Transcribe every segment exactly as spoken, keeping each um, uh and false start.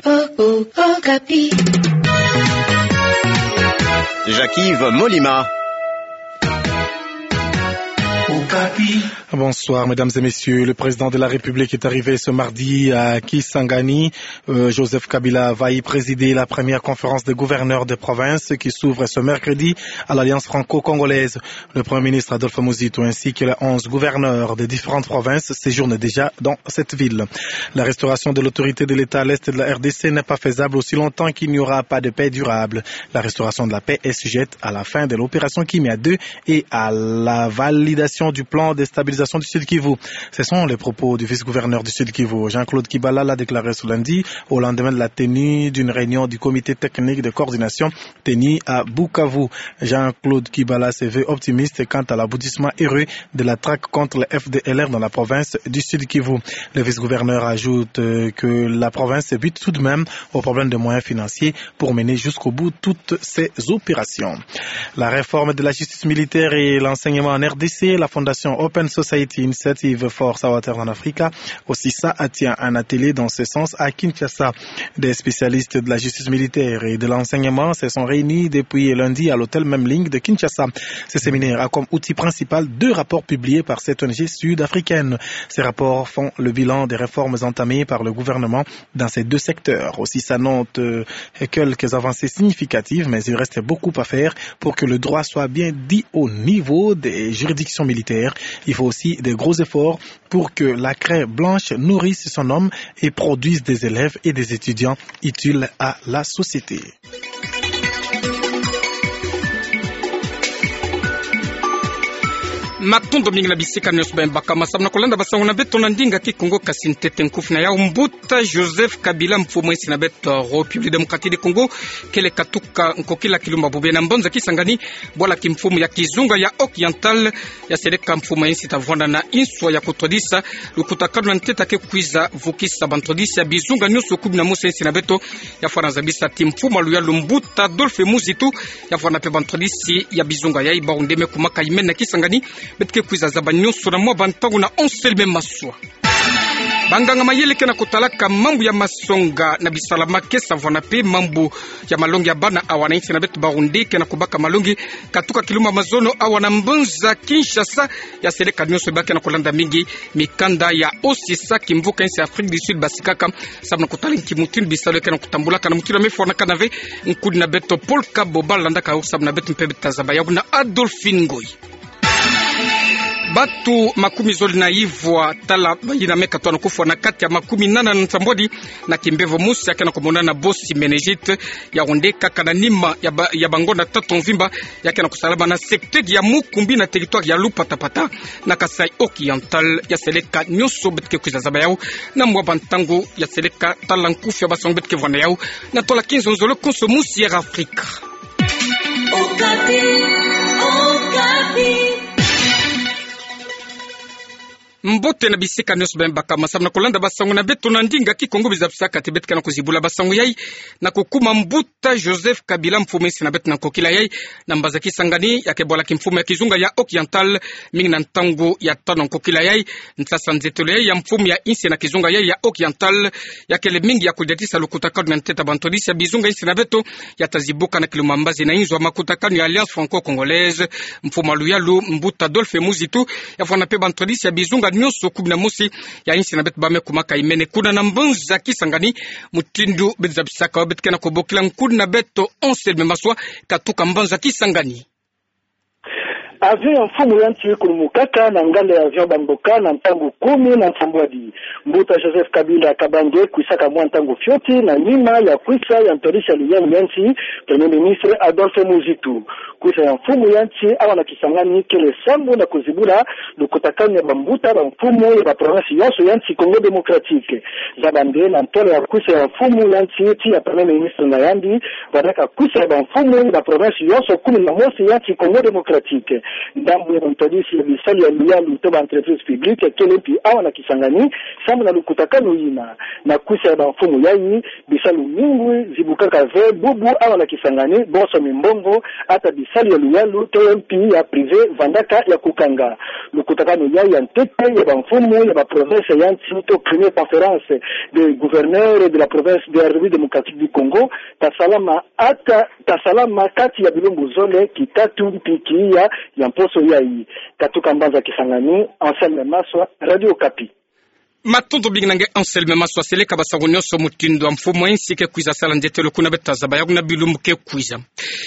Okapi. Jacques-Yves Molima. Okapi. Bonsoir, mesdames et messieurs. Le président de la République est arrivé ce mardi à Kisangani. Euh, Joseph Kabila va y présider la première conférence des gouverneurs des provinces qui s'ouvre ce mercredi à l'Alliance franco-congolaise. Le Premier ministre Adolphe Muzito ainsi que les onze gouverneurs des différentes provinces séjournent déjà dans cette ville. La restauration de l'autorité de l'État à l'est de la R D C n'est pas faisable aussi longtemps qu'il n'y aura pas de paix durable. La restauration de la paix est sujette à la fin de l'opération Kimia deux et à la validation du plan de stabilisation du Sud-Kivu. Ce sont les propos du vice-gouverneur du Sud-Kivu. Jean-Claude Kibala l'a déclaré ce lundi au lendemain de la tenue d'une réunion du comité technique de coordination tenue à Bukavu. Jean-Claude Kibala se veut optimiste quant à l'aboutissement heureux de la traque contre le F D L R dans la province du Sud-Kivu. Le vice-gouverneur ajoute, euh, que la province bute tout de même au problème de moyens financiers pour mener jusqu'au bout toutes ces opérations. La réforme de la justice militaire et l'enseignement en R D C, la fondation Open Society Initiative for Southern Africa, aussi ça, tient un atelier dans ce sens à Kinshasa. Des spécialistes de la justice militaire et de l'enseignement se sont réunis depuis lundi à l'hôtel Memling de Kinshasa. Ce séminaire a comme outil principal deux rapports publiés par cette O N G sud-africaine. Ces rapports font le bilan des réformes entamées par le gouvernement dans ces deux secteurs. Aussi, ça note, euh, quelques avancées significatives, mais il reste beaucoup à faire pour que le droit soit bien dit au niveau des juridictions militaires. Il faut aussi des gros efforts pour que la craie blanche nourrisse son homme et produise des élèves et des étudiants utiles à la société. Matondo mingi na bisika nyonso beno bakama samu na kolanda basango na beto na ndinga Kikongo, kasi ntete nkufi na yau. Mbuta Joseph Kabila, mfumu ya insi na beto République démocratique du Congo, kele katuka nkokila kilumbu bobie na mbanza Kisangani, bwala kimfumu ya kizunga ya Oriental, ya seleka mfumu ya insi ta vwanda na inswa ya kutwadisa lukutakanu na ntete ke kwiza vukisa bantwadisi ya bizunga nyonso kumi na mosi ya insi na beto. Ya fwana zabisa ti mfumu ya luyalu mbuta Adolphe Muzito, ya fwana mpe bantwadisi ya bizunga yai bawu nde me kumaka imene na Kisangani, beto ke kwiza zaba nyonso na mwa bantangu na onse lime maswa. Banganga mayele ke na kutalaka mambu ya masonga na bisalamake, sa vwana mpe mambu ya malongi ya bana awa na insi na beto, bawu nde ke na kubaka malongi katuka kilumbu mazono awa na mbanza Kinshasa. Ya seleka nyonso ba ke na kulanda mingi mikanda ya osisa kimvuka insi ya Afrique du Sud basikaka, samu na kutala nki mutindu bisalu ya ke na kutambulaka na mutindu ya me fwanakana ve. Nkudi na beto Paul Kabo ba landaka yo samu na beto mpe beto ta zaba yau na Adolphine Ngoyi. Bato makumi zole na ivwa, tala bayina me katwa na kufwa na kati ya makumi nana na nsambwadi na kimbevo mosi ya ke na kumonana bosi, méningite, yawu nde kaka na nima ya ba, ya bangonda tatu mvimba, ya ke na kusalama na secteur ya Mukumbi na territoire ya Lupatapata na Kasaï Oriental. Ya seleka nyonso beto ke kwiza zaba yau na mwa bantangu. Ya seleka, tala nkufi ya basango beto ke vwanda yau na tola kinzonzolo konso mosi ya Afrika. Okapi, Okapi. Mbote na bisika nyonso beno bakama samu na kulanda basango na beto na ndinga Kikongo. Bizabisaka ti beto ke na kuzibula basango yai na kukuma mbuta Joseph Kabila, mfumu ya insi na beto na nkokila yai, na mbanza Kisangani, ya ke bwala kimfumu ya kizunga ya Oriental, mingi na ntangu ya tanu nkokila yai. Nsasa nzetolo yai ya mfumu ya insi na kizunga yai ya Oriental, ya kele mingi ya kudiatisa lukutakanu na ntete bantwadisi ya bizunga insi na beto, ya ta zibuka na kilumbu mbazi na inzo ya makutakanu ya Alliance franco-congolaise. Mfumu ya luyalu mbuta Adolphe Muzito, ya fwana mpe bantwadisi ya bizunga nyonso kumi na mosi ya insi na beto ba me kumaka imene kuna na mbanza Kisangani, mutindu beto zabisaka yo. Beto ke na kubokila nkudi na beto onse lime maswa katuka mbanza Kisangani. Avion ya mfumu ya insi kulumukaka na nganda ya avion Bamboka na ntangu kumi na nsambwadi. Mbuta Joseph Kabila Kabange kwisaka mwa ntangu fioti na nima ya kwisa ya ntwadisi ya luyalu ya insi, Premier Ministre Adolphe Muzito. Kwisa ya mfumu ya insi awa na Kisangani kele sambu na kuzibula lukutakanu ya bambuta bamfumu ya baprovince yonso ya insi Congo Démocratique. Zaba nde na ntwala ya kwisa ya mfumu ya insi ti ya Premier Ministre na yandi, vwandaka kwisa ya bamfumu ya baprovince yonso kumi na mosi ya insi Congo Démocratique. Ndambu ya bantwadisi ya bisalu ya luyalu to ba entreprise publique kele mpi awa na Kisangani, samu na lukutakanu yina. Na kwisa ya bamfumu yayi, bisalu mingi zibukaka ve bubu awa na Kisangani, bonso mimbongo, ata bisalu ya luyalu to mpi ya privé vandaka ya kukanga. Lukutakanu yayi ya ntete ya bamfumu ya ba province ya nsi to première conférence des gouverneurs de la province de la République démocratique du Congo, tasalama ata, tasalama kati ya bilumbu zole, kitatu mpi kiya ya mposo yayi. Katuka mbanza Kisangani, Anselme Maswa, Radio Okapi. Matondo mingi na nge Anselme Maswa. Seleka basango nyonso mutindu ya mfumu ya nsi ke kwiza sala ndetelo kuna, beta zaba yaku na bilumbu ke kwiza.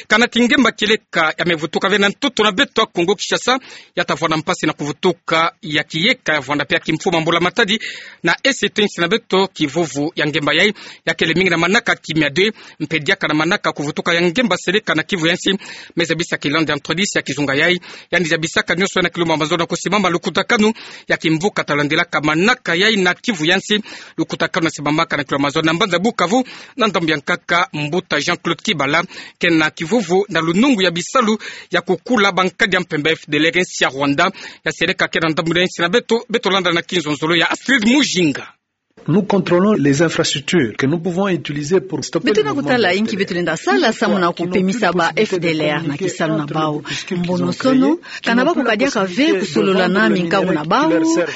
Kana ti ngemba kieleka ya mevutuka ve na ntoto na beto ya Kongo Kinshasa, ya tavwanda mpasi na kuvutuka ya kiyeka ya vwanda mpe ya kimfumu ya mbula-matadi, na ese to nsi na beto kivuvu ya ngemba yayi, ya kele mingi na manaka kimia de, mpe diaka na manaka kuvutuka ya ngemba seleka na Kivu ya nsi. Me zabisa ki Landa Anthronis ya kizunga yayi, yandi zabisaka nyonso ya na kilumbu ya mazono kusimama lukutakanu ya kimvuka talandelaka manaka yayi na Kivu ya nsi. Lukutakanu na simamaka na kilumbu ya mazono na mbanza Bukavu, na ndambu ya nkaka mbuta Jean-Claude Kibala, ke na kivuvu na lunungu ya bisalu ya kukula bankadi ya mpemba F D L R nsi ya Rwanda, ya seleka ke na ndambu ya nsi na beto. Beto landa na kinzonzolo ya Astrid Mujinga. Nous contrôlons les infrastructures que nous pouvons utiliser pour stopper le mouvement de F D L R. Beto na kutala inki beto lenda sala samu na kupemisa ba F D L R na kisalu na bau. Mbonosono, kana ba kuka diaka ve kusolola na minkangu na bau,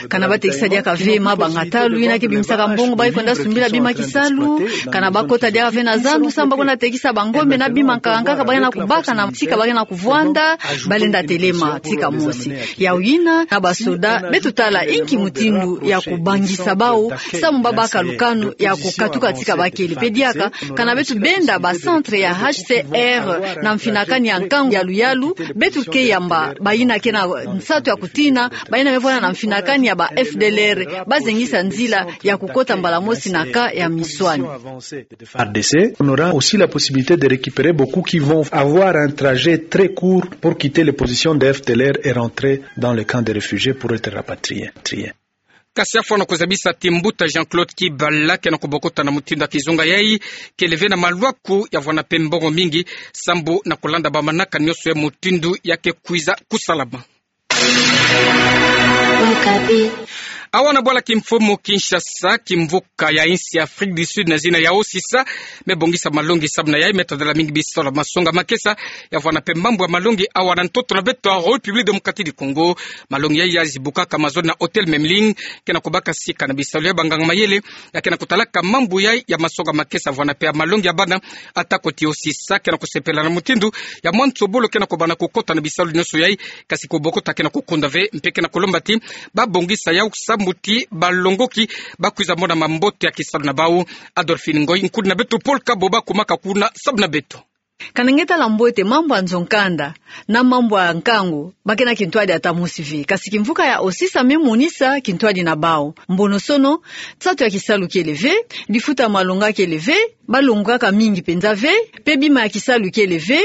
kana ba tekisa diaka ve mabanga talu yina ke bimisaka mbongo bayi kwenda sumbila bima kisalu, kana ba kota diaka ve na zandu samu ba kwenda tekisa bangombe na bima nkaka nkaka ba ke na kubaka na tika ba ke na kuvwanda, ba lenda telema tika mosi. Yawu yina, na basoda, beto tala inki mutindu ya kubangisa bau, samu ba baka lukanu ya kukatuka tika ba kele. Mpe diaka, kana beto benda ba centre ya H C R na mfinakani ya nkangu ya luyalu, beto ke yamba bayina ke na nsatu ya kutina, bayina me vwanda na mfinakani ya ba F D L R, ba zengisa nzila ya kukota mbala mosi na ka ya miswani. R D C, on aura aussi la possibilité de récupérer beaucoup qui vont avoir un trajet très court pour quitter les positions de F D L R et rentrer dans le camp des réfugiés pour être rapatriés. Kasi afwa na kuzabisa ti mbuta Jean-Claude Kibala ke na kubokota na mutindu ya kizunga yayi, kele ve na malwaku ya vwanda mpe mbongo mingi, sambu na kulanda ba manaka nyonso ya mutindu ya ke kwiza kusalama. Awa na bwala kimfumu Kinshasa, kimvuka ya insi ya Afrique du Sud na zina ya OCISA, me bongisa malongi samu na yayi me tadala mingi bisalu ya masonga makesa, ya vwanda mpe mambu ya malongi awa na ntoto na beto ya République Démocratique du Congo. Malongi yayi ya zibukaka mazono na Hôtel Memling, ke na kubaka sika na bisalu ya banganga mayele ya ke na kutalaka mambu yayi ya masonga makesa, vwanda mpe ya malongi ya bana. Atako ti OCISA ke na kusepela na mutindu ya mwa nsobolo ke na kubanda kukota na bisalu nyonso yayi, kasi kubokota ke na kukunda ve, mpe ke na kulomba ti ba bongisa yawu sambu ti balongoki ba kwiza mona mambote ya kisalu na bau. Adolphine Ngoy, nkundi na beto Paul Kabo, ba kumaka kuna samu na beto. Kana nge tala mbote, mambu ya nzo-nkanda na mambu ya nkangu, ba ke na kintwadi ata mosi ve. Kasi kimvuka ya OCISA me monisa kintwadi na bau. Mbonosono, nsatu ya kisalu kele ve, lifuta ya malonga kele ve, ba longokaka mingi mpenza ve, mpe bima ya kisalu kele ve,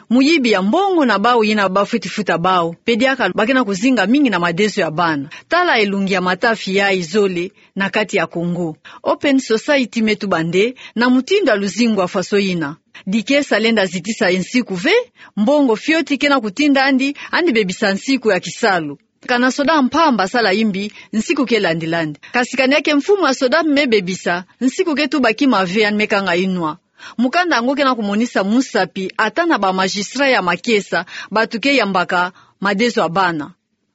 muyibi ya mbongo na bau yina ba fweti futa bau, mpe diaka ba ke na kuzinga mingi na madezo ya bana. Tala elongi ya matafi yayi zole na kati ya Congo. Open Society me tuba nde na mutindu ya luzingu ya faso yina. Dikesa lenda zitisa nsiku ve, mbongo fioti ke na kutinda andi, andi bebisa nsiku ya kisalu. Kana soda mpamba sala imbi, nsiku ke landila andi. Kasi kana ya ke mfumu ya soda me bebisa, nsiku ke tuba kima ve, andi me kanga inwa. Mukanda yango ke na kumonisa musapi ata na ba magistrat ya makesa, bantu ke yambaka madezo ya bana.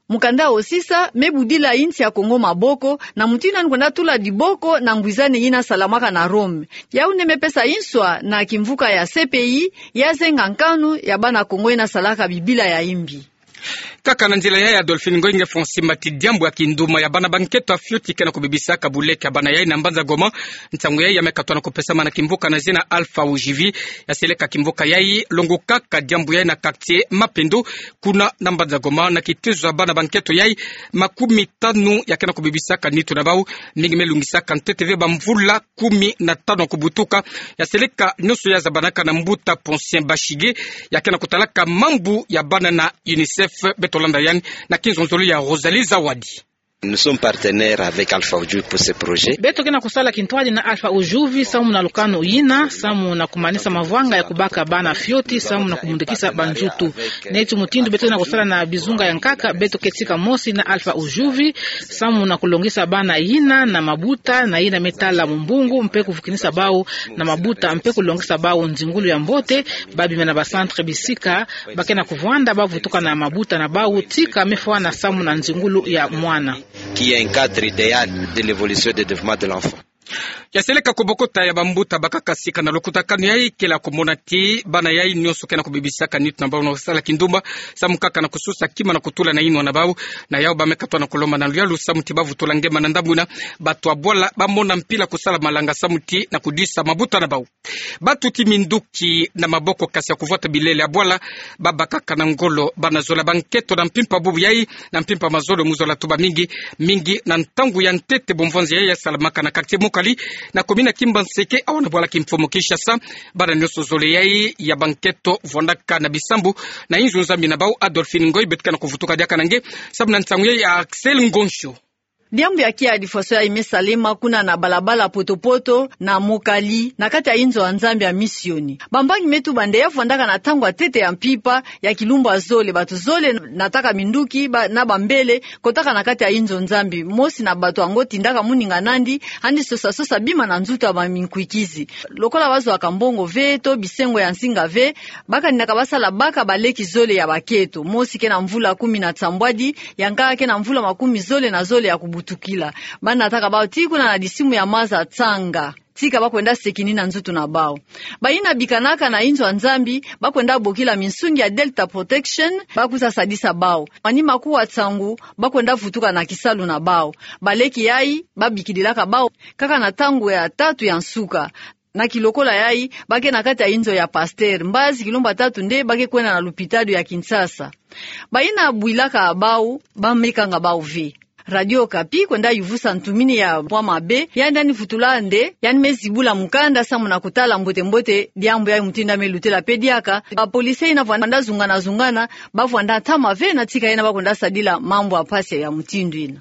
Mukanda ya OCISA me budila insi ya Congo maboko, na mutindu andi kwenda tula diboko na ngwizane yina salamaka na Rome. Yawu nde me pesa inswa na kimvuka ya C P I ya zenga nkanu ya bana Congo yina salaka bibila ya imbi. Kaka na nzila yayi, Adolphine Ngoy, nge fwa simba ti diambu ya kinduma ya bana ba nkento ya fioti ke na kubebisaka buleke ya bana yayi na mbanza Goma. Nsangu yayi ya me katwa na kupesama na kimvuka na zina Alpha Ogivi, ya seleka kimvuka yayi longokaka diambu yayi na quartier Mapendo, kuna na mbanza Goma, na kitezo ya bana ba nkento yayi makumi tanu ya ke na kubebisaka nitu na bau, mingi me lungisaka ntete ve ba mvula kumi na tanu ya kubutuka. Ya seleka nyonso ya zabanaka na mbuta Poncien Bashige, ya ke na kutalaka mambu ya bana na UNICEF. Beto landa yandi na kinzonzolo ya Rosalie Zawadi. Nous sommes partenaires avec Alpha Oudjouvi pour ce projet. Beto ke na kusala kintwadi na Alpha Oudjouvi, samu na lukanu yina, samu na kumanisa mavwanga ya kubaka bana fioti, samu na kumundikisa banzutu. Neti mutindu beto ke na kusala na bizunga ya nkaka, beto ke tika mosi na Alpha Oudjouvi, samu na kulongisa bana yina na mabuta, na yina me tala mumbungu, mpe kuvukinisa bau na mabuta, mpe kulongisa bau nzingulu ya mbote, ba bima na ba centre bisika ba ke na kuvwanda, ba vutuka na mabuta na bau, tika me fwana samu na nzingulu ya mwana. Qui est un cadre idéal de l'évolution et de développement de l'enfant. Ya seleka ku bokota ya bambuta bakaka sika na lukutakanu yai, kele kumona ti bana yai nyonso ke na kubibisaka nitu na bau na kusala kindumba, samu kaka na kususa kima na kutula na yinwa na bau. Na yau ba me katoa na kulomba na luyalu samu ti ba vutula ngema na ndambu na batu ya bwala, ba mona mpila kusala malanga samu ti na kudisa mabuta na bau. Batuti minduki na maboko kasi ya kuvwata bilele ya bwala, ba bakaka na ngolo bana zole ya banketo na mpimpa bubu yai, na mpimpa mazono mu zola tuba mingi, mingi na ntangu ya ntete. Bumvwanzi yai ya salamaka na quartier Mokali, na commune ya Kimbanseke, awa na bwala kimfumu Kinshasa. Bana nyonso zole yai ya banketo vwandaka na bisambu na inzo nzambi na bau. Adolphine Ngoy beto ke na kuvutuka diaka na nge, samu na nsangu yai ya Axel Ngonsho. Diambu ya kiadi faso yai me salema kuna na balabala poto-poto na Mokali, na kati ya inzo ya nzambi ya Misioni. Bambangi me tuba nde ya vwandaka na ntangu ya ntete ya mpimpa ya kilumbu ya zole, batu zole nataka minduki ba, na bambele, kotaka na kati ya inzo nzambi. Mosi na batu yango tindaka muninga nandi, andi sosa-sosa bima na nzutu ya ba minkwikizi. Lokola ba zwaka mbongo ve, to bisengo ya nsinga ve, ba kaninaka ba sala baka baleki zole ya baketo. Mosi ke na mvula kumi na nsambwadi, ya nkaka ke na mvula makumi zole na zole ya kubutukila. Ba nataka bau tii kuna na disimu ya maza Tsanga. Tika ba kwenda sekini na nzutu na bau. Bayina bikanaka na inzo ya nzambi, ba kwenda bokila minsungi ya Delta Protection, ba kwiza sadisa bau. Manima kuwa nsangu, ba kwenda vutuka na kisalu na bau. Baleki yai, ba bikidilaka bau kaka na ntangu ya tatu ya nsuka. Na kilokola yai, ba ke na kati ya inzo ya pasteur. Mbazi kilumbu ya tatu nde ba ke kwenda na lupitalu ya Kinshasa. Bayina bwilaka bau, ba mekanga bau ve. Radio Okapi kwenda yuvusa ntumini ya bwa mabe, yandi yandi vutula nde yandi me zibula mukanda samu na kutala mbote-mbote diambu yai mutindu ya me lutela mpe diaka. Bapolisi yina vwanda zungana-zungana, ba vwanda ntama ve na tika yina ba kwenda sadila mambu ya mpasi ya mutindu yina.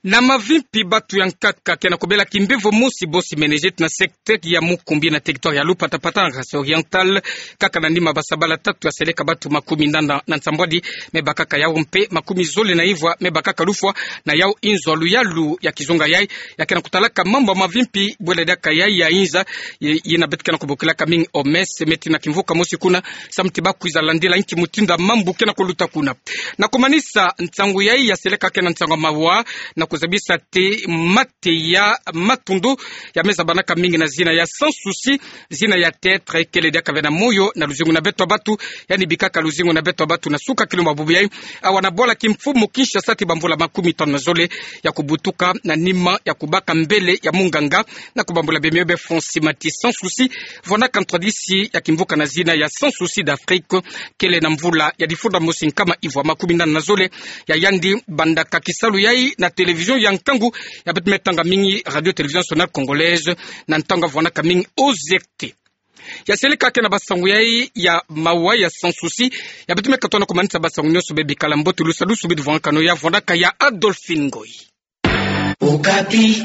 Na mavimpi, batu ya nkaka ke na kubela kimbevo mosi bosi meningite na secteur ya Mukumbi na territoire ya Lupatapata na Kasai Oriental, kaka na nima ba sabala tatu ya seleka batu makumi nana na nsambwadi me bakaka yau mpe makumi zole na ivwa me bakaka lufwa na yau inzo ya luyalu ya kizunga yai ya ke na kutalaka mambu ya mavimpi bwela diaka yai ya inza, yi-, yina beto ke na kubokilaka mingi O M S, me tii na kimvuka mosi kuna, samu ti ba kwiza landila inki mutindu ya mambu ke na kuluta kuna. Na kumanisa, nsangu yai ya seleka ke na nsangu ya mawa, na kuzabisa ti mate ya matundu ya me zabanaka mingi na zina ya Sans Souci, zina ya théâtre, kele diaka ve na moyo na luzingu na beto ya batu, yandi bikaka luzingu na beto ya batu na suka kilumbu ya bubu yai, awa na bwala kimfumu Kinshasa, ti bamvula makumi tanu na zole ya kubutuka na nima ya kubaka mbele ya munganga na kubambula bemio be fonsi mati Sans Souci, vwandaka ntwadisi ya kimvuka na zina ya Sans Souci d'Afrique, kele na mvula ya difunda mosi nkama ivwa makumi nana na zole ya yandi bandaka kisalu yai na télévision ya nkangu ya beto me tanga mingi Radio Télévision Nationale Congolaise, na ntangu ya vwandaka mingi O Z T. Ya seleka ke na basangu yai ya mawa ya Sans Souci, ya beto me katoa na kumanisa. Basangu nyonso be bikala mbote, lusadusu bidi vwandaka no ya vwandaka ya Adolphine Ngoy. Okapi.